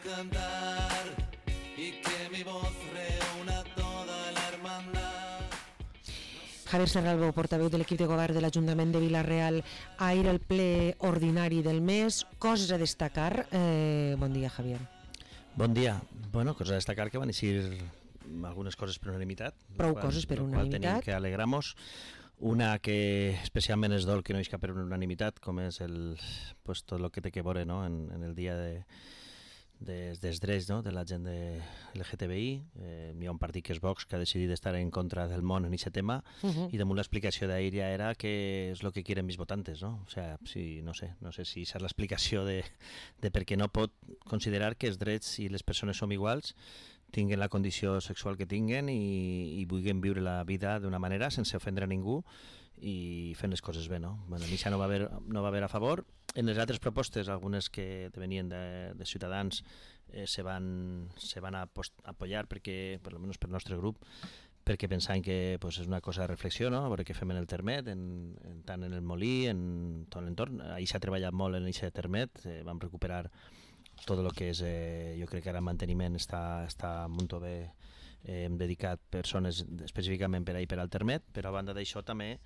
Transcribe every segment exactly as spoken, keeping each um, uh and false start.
cantar y que mi voz reúna toda la hermandad. Javier Serralbo, portaveu de l'equip de govern de l'Ajuntament de Vila-real, ahir el ple ordinari del mes. Coses a destacar. Eh, bon dia, Javier. Bon dia. Bueno, coses a destacar que van eixir algunes coses per unanimitat. Prou coses per unanimitat. Tenim que alegramos. Una que especialment és dol que no isca per unanimitat, com és el, pues, tot el que té que veure, no? en, en el dia de, de, dels drets, no? de la gent de L G T B I. Eh, hi ha un partit que és Vox que ha decidit estar en contra del món en aquest tema, uh-huh. i damunt l'explicació d'ahir ja era que és el que quieren mis votantes, no? O sea, sí, no sé, no sé si és l'explicació de, de per què no pot considerar que els drets i les persones som iguals, tinguen la condició sexual que tinguen i, i vulguin viure la vida d'una manera sense ofendre a ningú i fent les coses bé, no? Bueno, a mi això no va haver, no va haver a favor. En les altres propostes, algunes que venien de, de Ciutadans, eh, se van, se van a apoyar perquè, per almenys per el nostre grup, perquè pensaven que pues, és una cosa de reflexió, no? A veure què fem en el termet, en, en, tant en el molí, en tot l'entorn. Ahir s'ha treballat molt en aquest termet, eh, vam recuperar tot el que és, eh, jo crec que ara el manteniment està, està molt bé, eh, hem dedicat persones específicament per ahir per al termet, però a banda d'això també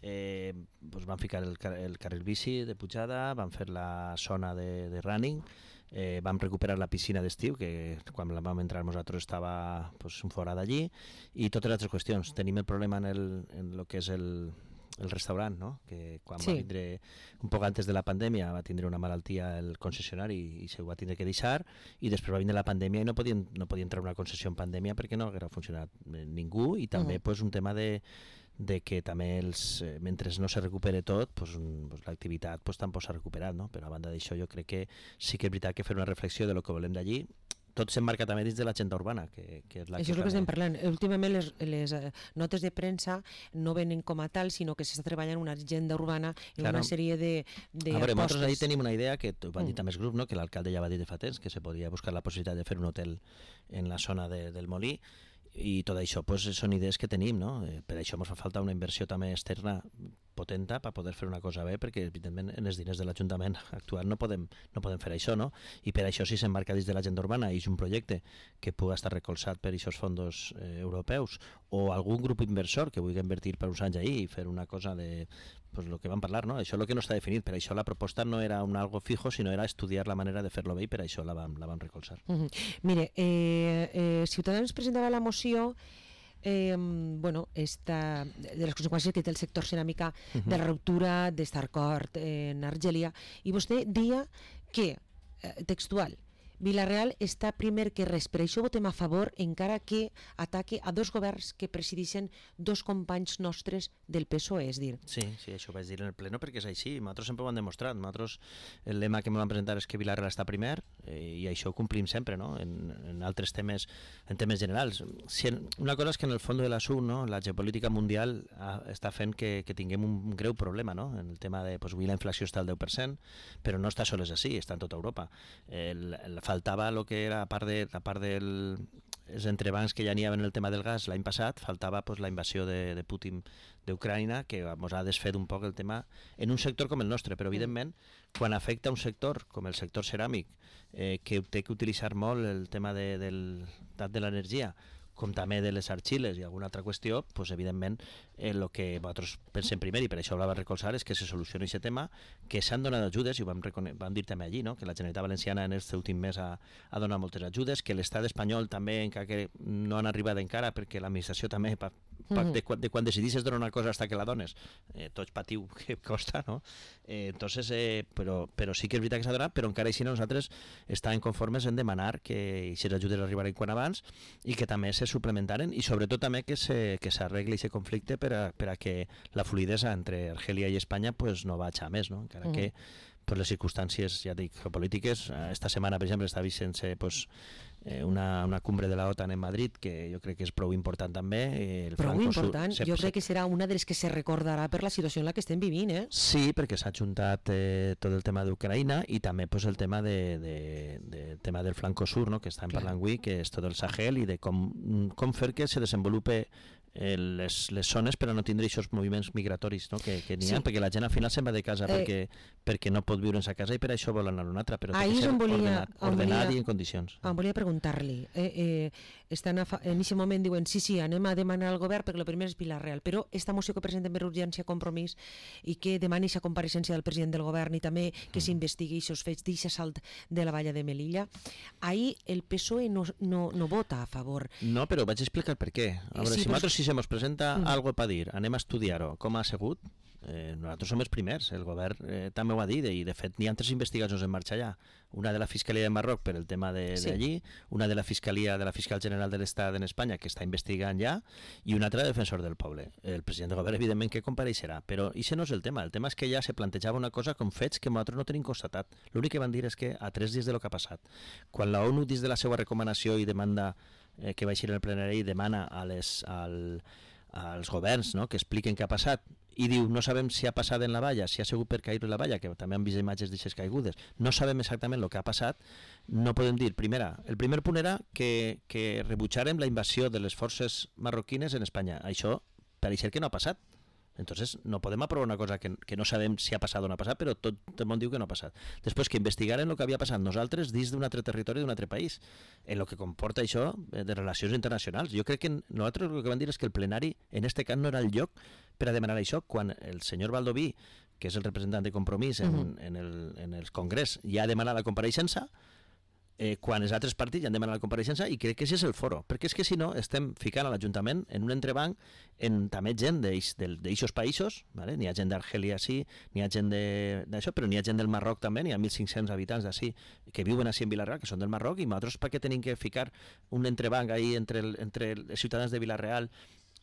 eh, doncs van ficar el, el carril bici de pujada, van fer la zona de, de running, eh, vam recuperar la piscina d'estiu, que quan la vam entrar nosaltres estava pues, fora d'allí, i totes les altres qüestions. Tenim el problema en el, en el que és el el restaurant, no? Que quan sí. va vindre un poc antes de la pandèmia va tindre una malaltia el concessionari i se ho va tindre que deixar, i després va vindre la pandèmia i no podien, no podia entrar una concessió en pandèmia perquè no haguera funcionat ningú, i també uh-huh. pues, un tema de, de que també els, eh, mentre no se recupere tot, pues, un, pues, l'activitat pues, tampoc s'ha recuperat, no? Però a banda d'això jo crec que sí que és veritat que fer una reflexió de lo que volem d'allí. Tot s'emmarca també dins de l'agenda urbana, que, que és la Això que és el que també... estem parlant. Últimament les, les notes de premsa no venen com a tal, sinó que s'està treballant una agenda urbana en claro. Una sèrie de, de a veure, apostes. Nosaltres ahir tenim una idea que ho van dir també els grups, no? Que l'alcalde ja va dir de fa temps, que se podria buscar la possibilitat de fer un hotel en la zona de, del Molí, i tot això pues, són idees que tenim, no? Eh, per això ens fa falta una inversió també externa potenta per poder fer una cosa bé, perquè evidentment en els diners de l'Ajuntament actual no podem, no podem fer això, no? I per això si s'emmarca dins de l'agenda urbana i és un projecte que pugui estar recolzat per aquests fons eh, europeus, o algun grup inversor que vulgui invertir per uns anys ahir i fer una cosa de pues, el que vam parlar, no? Això és el que no està definit, per això la proposta no era un algo fijo, sinó era estudiar la manera de fer-lo bé, i per això la vam, la vam recolzar. Uh-huh. Mire, eh, eh, Ciutadans presentava la moció Eh, bueno, esta, de les conseqüències que té el sector ceràmica uh-huh. de la ruptura d'Estarcort en Argèlia, i vostè dia que, eh, textual, Vila-real està primer que res, per això votem a favor, encara que ataque a dos governs que presideixen dos companys nostres del P S O E, és dir. Sí, sí, això ho vaig dir en el pleno perquè és així, nosaltres sempre ho hem demostrat, nosaltres el lema que em van presentar és que Vila-real està primer, eh, i això ho complim sempre, no? En, en altres temes, en temes generals. Si en, una cosa és que en el fons de l'assumpte, no? La geopolítica mundial ha, està fent que, que tinguem un, un greu problema, no? En el tema de, pues, avui la inflació està al deu per cent, però no està sols així, està en tota Europa. El, el faltava el que era a part de a part dels entrebancs que ja n'hi havia en el tema del gas l'any passat, faltava pues, la invasió de, de Putin d'Ucraïna, que ens ha desfet un poc el tema en un sector com el nostre, però evidentment quan afecta un sector com el sector ceràmic, eh, que té que utilitzar molt el tema de, del, de l'energia, com també de les arxiles i alguna altra qüestió, pues, evidentment el eh, que nosaltres pensem primer, i per això ho va recolzar, és que se solucioni aquest tema, que s'han donat ajudes, i ho vam, vam dir també allí, no? Que la Generalitat Valenciana en aquest últim mes ha, ha donat moltes ajudes, que l'estat espanyol també, encara que no han arribat encara, perquè l'administració també, pa, pa, de, quan, de quan decidisses donar una cosa fins que la dones, eh, tots patiu que costa, no? Eh, entonces, eh, però, però sí que és veritat que s'ha donat, però encara així nosaltres estàvem conformes en demanar que aquestes ajudes arribaran quan abans, i que també se suplementaren, i sobretot també que se, que s'arregli aquest conflicte per a, per a que la fluidesa entre Argèlia i Espanya pues, no vagi a més, no? Encara mm. que per les circumstàncies, ja dic, geopolítiques, esta setmana, per exemple, està vigent-se pues, eh, una, una cumbre de la OTAN en Madrid, que jo crec que és prou important també. El prou important? Sur, jo crec que serà una de les que se recordarà per la situació en la que estem vivint, eh? Sí, perquè s'ha ajuntat eh, tot el tema d'Ucraïna i també pues, el tema, de, de, de, tema del flanco sur, no? Que estem parlant avui, que és tot el Sahel, i de com, com fer que se desenvolupe eh, les, les zones per a no tindre aquests moviments migratoris, no? que, que n'hi ha, Sí. perquè la gent al final se'n va de casa Eh, perquè, perquè no pot viure en sa casa i per això vol anar a una altra, però té Ahí que és ser on volia- ordenat, on ordenat volia- i en condicions. Em volia preguntar-li, eh, eh, estan a fa... en aquest moment diuen sí, sí, anem a demanar al govern perquè el primer és Vila-real, però esta moció que presenten per urgència Compromís i que demani aquesta compareixença del president del govern i també que s'investigui aquests fets d'aquest salt de la valla de Melilla, ahir el P S O E no, no, no vota a favor. No, però vaig explicar per què. A veure, Sí, si però- nosaltres si se mos presenta Mm. algo per dir, anem a estudiar-ho, com ha sigut, eh, nosaltres som els primers, el govern eh, també ho ha dit, i de fet n'hi ha tres investigacions en marxa ja. Una de la Fiscalia de Marroc per el tema de, Sí. d'allí, una de la Fiscalia de la Fiscal General de l'Estat en Espanya, que està investigant ja, i una altra de Defensor del Poble. El president del govern, evidentment, que compareixerà, però això no és el tema. El tema és que ja se plantejava una cosa com fets que nosaltres no tenim constatat. L'únic que van dir és que a tres dies de lo que ha passat, quan la ONU, dins de la seva recomanació i demanda eh, que va eixir en el plenari, demana a les, al, als governs, no?, que expliquen què ha passat, i diu, no sabem si ha passat en la valla, si ha sigut per caure la valla, que també han vist imatges d'aixes caigudes, no sabem exactament el que ha passat, no podem dir. Primera, el primer punt era que, que rebutjarem la invasió de les forces marroquines en Espanya. Això pareix que no ha passat. Entonces no podem aprovar una cosa que, que no sabem si ha passat o no ha passat, però tot el món diu que no ha passat. Després que investigaren el que havia passat nosaltres dins d'un altre territori d'un altre país, en el que comporta això de relacions internacionals. Jo crec que nosaltres el que vam dir és que el plenari en este cas no era el lloc per a demanar això, quan el senyor Baldoví, que és el representant de Compromís en, uh-huh. en, el, en el Congrés, ja ha demanat la compareixença, eh, quan els altres partits ja han demanat la compareixença, i crec que això és el foro, perquè és que si no estem ficant a l'Ajuntament en un entrebanc en també gent d'aixos països, ¿vale? N'hi ha gent d'Argèlia sí, n'hi ha gent d'això, però n'hi ha gent del Marroc també, n'hi ha mil cinc-cents habitants d'ací que viuen així en Vila-real, que són del Marroc, i nosaltres per què tenim que ficar un entrebanc ahí entre, el, entre els ciutadans de Vila-real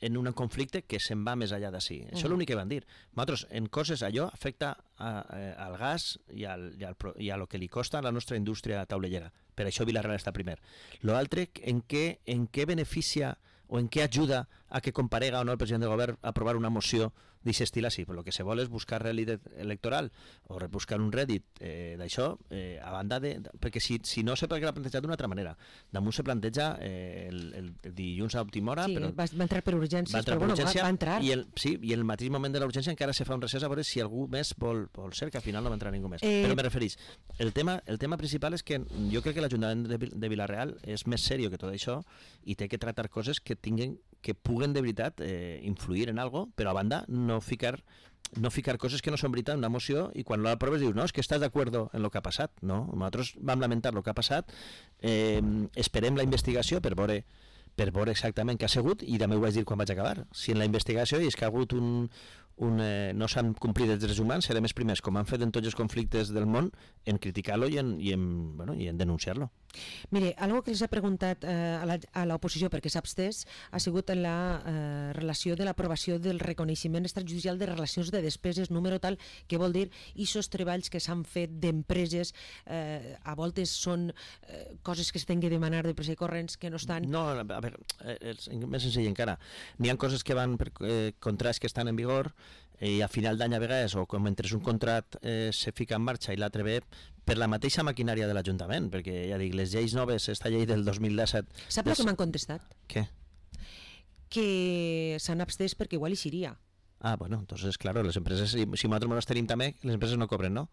en un conflicte que se'n va més allà d'ací. Mm. Això és l'únic que van dir. Nosaltres, en coses, allò afecta a, a, al gas i, al, i, al, i a lo que li costa a la nostra indústria taulellera. Per això Vila-real està primer. L'altre, en què, en què beneficia o en què ajuda a que comparega o no el president del govern a aprovar una moció d'aquest estil així? Però el que se vol és buscar rèdit electoral o buscar un rèdit eh, d'això, eh, a banda de... Perquè si, si no sé per què l'ha plantejat d'una altra manera. Damunt se planteja eh, el, el, el dilluns a última hora... Sí, però va, va entrar per urgències, va entrar però per bueno, urgència, va, va entrar. I el, sí, i el mateix moment de la urgència encara se fa un recés a veure si algú més vol, vol ser, que al final no va entrar ningú més. Eh... Però me referís, el tema, el tema principal és que jo crec que l'Ajuntament de, de Vila-real és més seriós que tot això i té que tractar coses que tinguen que puguen de veritat eh, influir en algo, però a banda no ficar no ficar coses que no són veritat en una moció i quan l'aproves dius, no, és que estàs d'acord en el que ha passat. No, nosaltres vam lamentar el que ha passat, eh, esperem la investigació per veure per veure exactament què ha sigut, i també ho vaig dir quan vaig acabar. Si en la investigació és que ha hagut un, un, eh, no s'han complit els drets humans, serem els primers, com han fet en tots els conflictes del món, en criticar-lo i en, i en, bueno, i en denunciar-lo. Mire, algo que els ha preguntat eh, a l'oposició perquè s'ha abstès ha sigut en la eh, relació de l'aprovació del reconeixement extrajudicial de relacions de despeses, número tal, que vol dir aquests treballs que s'han fet d'empreses, eh, a voltes són eh, coses que es tenen que demanar de pressa i corrents que no estan... No, a veure, és més senzill encara. N'hi ha coses que van per eh, contrats que estan en vigor i a final d'any a vegades, o com mentre un contrat eh, se fica en marxa i l'altre ve per la mateixa maquinària de l'Ajuntament, perquè ja dic, les lleis noves, esta llei del dos mil disset... Sap el que m'han contestat? Què? Que s'han abstès perquè igual hi seria. Ah, bueno, entonces, claro, les empreses, si, si nosaltres no les tenim també, les empreses no cobren, no?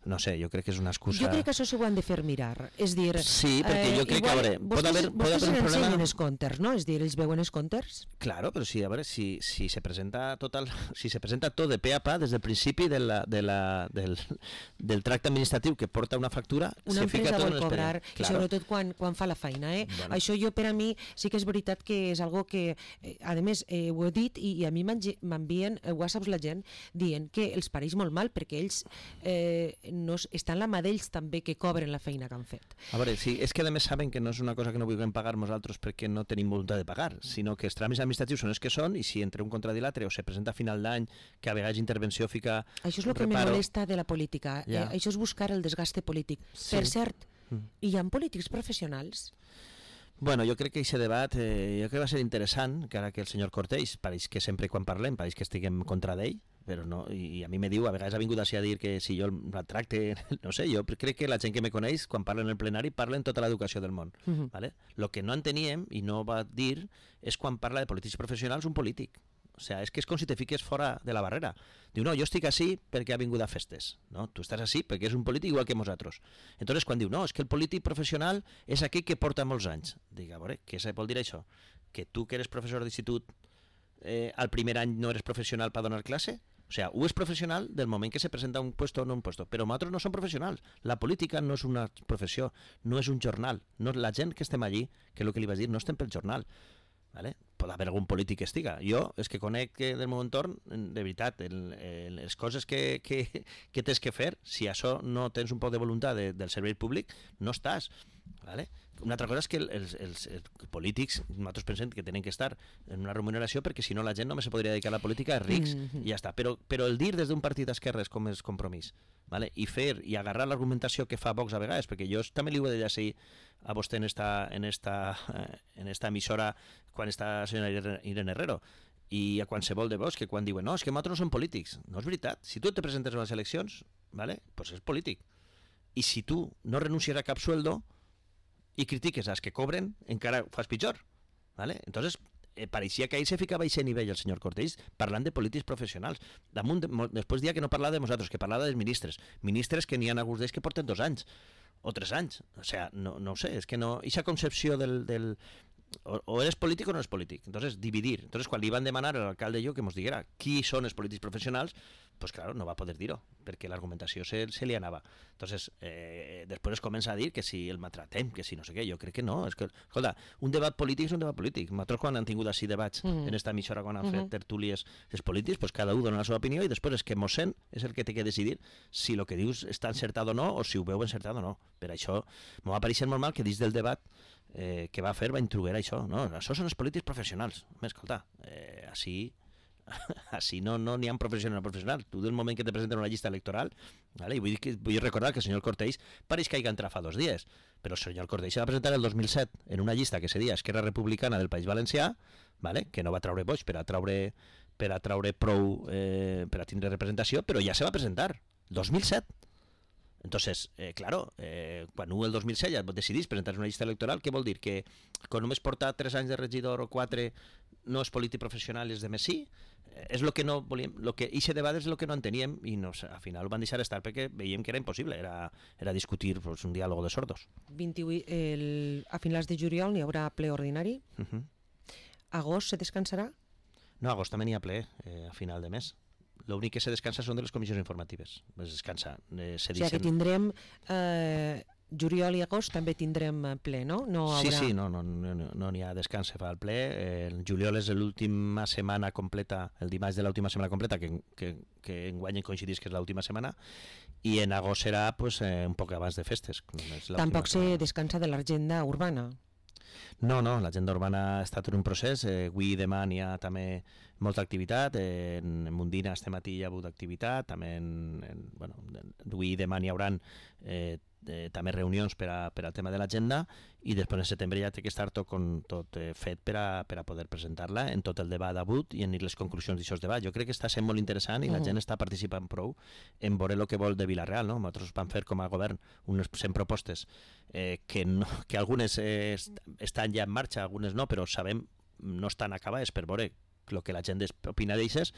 No sé, jo crec que és una excusa... Jo crec que això s'ho han de fer mirar. És dir... Sí, perquè jo crec igual, que, a veure, pot haver, pot haver un vostès problema... els comptes, no? És dir, ells veuen els comptes? Claro, però sí, a veure, si, si se presenta total, si se presenta tot de pe a pa des del principi de la, de la, del, del tracte administratiu que porta una factura, una se fica tot en vol cobrar, claro. I sobretot quan, quan fa la feina. Eh? Bueno. Això jo, per a mi, sí que és veritat que és algo que, eh, a més, eh, ho he dit i, i a mi m'envien eh, whatsapps la gent dient que els pareix molt mal perquè ells eh, no, estan la mà d'ells també que cobren la feina que han fet. A veure, sí, és que a més saben que no és una cosa que no vulguem pagar nosaltres perquè no tenim voluntat de pagar, sinó que els tràmits administratius són els que són, i si entre un contrat i l'altre o se presenta a final d'any que a vegades intervenció fica això és el que reparo... me molesta de la política. Ja. Eh, això és buscar el desgaste polític. Sí. Per cert, Mm. hi ha polítics professionals? Bueno, jo crec que aquest debat eh, jo crec que va ser interessant, que ara que el senyor Cortés, pareix que sempre quan parlem, pareix que estiguem contra d'ell, però no, i a mi me diu, a vegades ha vingut així a dir que si jo el tracte, no sé, jo crec que la gent que me coneix, quan parla en el plenari, parla en tota l'educació del món. Uh-huh. ¿Vale? Lo que no enteníem, i no va dir, és quan parla de polítics professionals un polític. O sea, és que és com si te fiques fora de la barrera. Diu, no, jo estic així perquè ha vingut a festes. No, tu estàs així perquè és un polític igual que nosaltres. Entonces, quan diu, no, és que el polític professional és aquell que porta molts anys. Dic, a veure, què vol dir això? Que tu que eres professor d'institut eh, al primer any no eres professional per donar classe? O sea, u és professional del moment que se presenta un puesto o no un puesto, però nosaltres no som professionals. La política no és una professió, no és un jornal. No, la gent que estem allí, que és el que li vaig dir, no estem pel jornal. ¿Vale? Pot haver algun polític que estiga. Jo, és que conec del meu entorn, de veritat, el, el, les coses que, que, que tens que fer, si això no tens un poc de voluntat de, del servei públic, no estàs. ¿Vale? Una altra cosa és que els, els, els polítics, nosaltres pensem que tenen que estar en una remuneració perquè si no la gent només se podria dedicar a la política, és rics, mm-hmm. i ja està. Però, però el dir des d'un partit d'esquerres com és Compromís, ¿vale? I fer i agarrar l'argumentació que fa Vox a vegades, perquè jo també li ho he de llegir a vostè en esta, en esta, en esta emissora quan està la senyora Irene Herrero, i a qualsevol de Vox que quan diuen no, és que nosaltres no som polítics. No és veritat. Si tu te presentes a les eleccions, ¿vale? Pues és polític. I si tu no renuncies a cap sueldo i critiques als que cobren, encara ho fas pitjor. ¿Vale? Entonces, eh, pareixia que ahir se ficava a aquest nivell el senyor Cortés parlant de polítics professionals. Damunt, de, després dia que no parlava de nosaltres, que parlava dels ministres. Ministres que n'hi ha alguns d'ells que porten dos anys o tres anys. O sea, no, no ho sé, és que no... Eixa concepció del... del o, o eres polític o no eres polític. Entonces, dividir. Entonces, quan li van demanar al alcalde jo que ens diguera qui són els polítics professionals, pues claro, no va poder dir-ho, perquè l'argumentació se, se li anava. Entonces, eh, després es comença a dir que si el maltratem, que si no sé què, jo crec que no. És que, escolta, un debat polític és un debat polític. Nosaltres quan han tingut així debats mm-hmm. en esta emissora, quan han mm-hmm. fet tertúlies els polítics, pues cada un dona la seva opinió i després és que mos sent és el que té que decidir si el que dius està encertat o no o si ho veu encertat o no. Per això m'ho va pareixer molt mal que dins del debat eh, que va fer va introduir això. No, això són els polítics professionals. Home, escolta, eh, així... així no n'hi no ha professional professional. Tu del moment que te presenten una llista electoral, ¿vale? I vull, que, vull recordar que el senyor Cortés pareix que hagi entrat fa dos dies, però el senyor Cortés se va presentar el dos mil set en una llista que se deia Esquerra Republicana del País Valencià, ¿vale? Que no va traure vots per a traure, per a traure prou eh, per a tindre representació, però ja se va presentar, dos mil set. Entonces, eh, claro, eh, quan el dos mil set ja decidís presentar una llista electoral, què vol dir? Que quan només porta tres anys de regidor o quatre no és polític professional i és de més sí? És el que no volíem, lo que ixe debat és el que no enteníem i no, al final ho van deixar estar perquè veiem que era impossible, era, era discutir pues, un diàleg de sordos. vint-i-vuit, el, a finals de juliol n'hi haurà ple ordinari. Uh-huh. Agost se descansarà? No, agost també n'hi ha ple, eh, a final de mes. L'únic que se descansa són de les comissions informatives. Es descansa. Eh, se o sigui que tindrem... Eh, juliol i agost també tindrem ple, no? no haurà... Sí, sí, no n'hi no, no, no ha descans, se fa el ple. El juliol és l'última setmana completa, el dimarts de l'última setmana completa, que, que, que enguany coincidís que és l'última setmana, i en agost serà pues, eh, un poc abans de festes. Tampoc se descansa de l'agenda urbana. No, no, l'agenda urbana ha estat en un procés, eh, avui i demà n'hi ha també molta activitat, eh, en Mundina este matí hi ha hagut activitat, també en, en, bueno, avui i demà n'hi haurà eh, eh, també reunions per, a, per al tema de l'agenda i després en setembre ja té que estar tot, con, tot eh, fet per a, per a poder presentar-la en tot el debat d'avui i en les conclusions d'aquest debat. Jo crec que està sent molt interessant i la gent està participant prou en veure el que vol de Vila-real. No? Nosaltres vam fer com a govern unes cent propostes eh, que, no, que algunes eh, estan ja en marxa, algunes no, però sabem no estan acabades per veure el que la gent opina d'eixes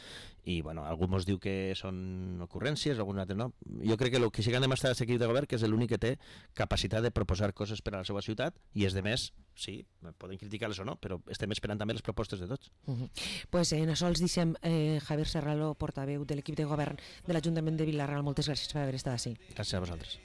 i bueno, algú ens diu que són ocurrències, algun altre no. Jo crec que el que sí que han demostrat aquest equip de govern que és l'únic que té capacitat de proposar coses per a la seva ciutat i és de més, sí, poden criticar-les o no, però estem esperant també les propostes de tots. Uh -huh. Pues en això els deixem eh, Javier Serralo, portaveu de l'equip de govern de l'Ajuntament de Vila-real. Moltes gràcies per haver estat així. Gràcies a vosaltres.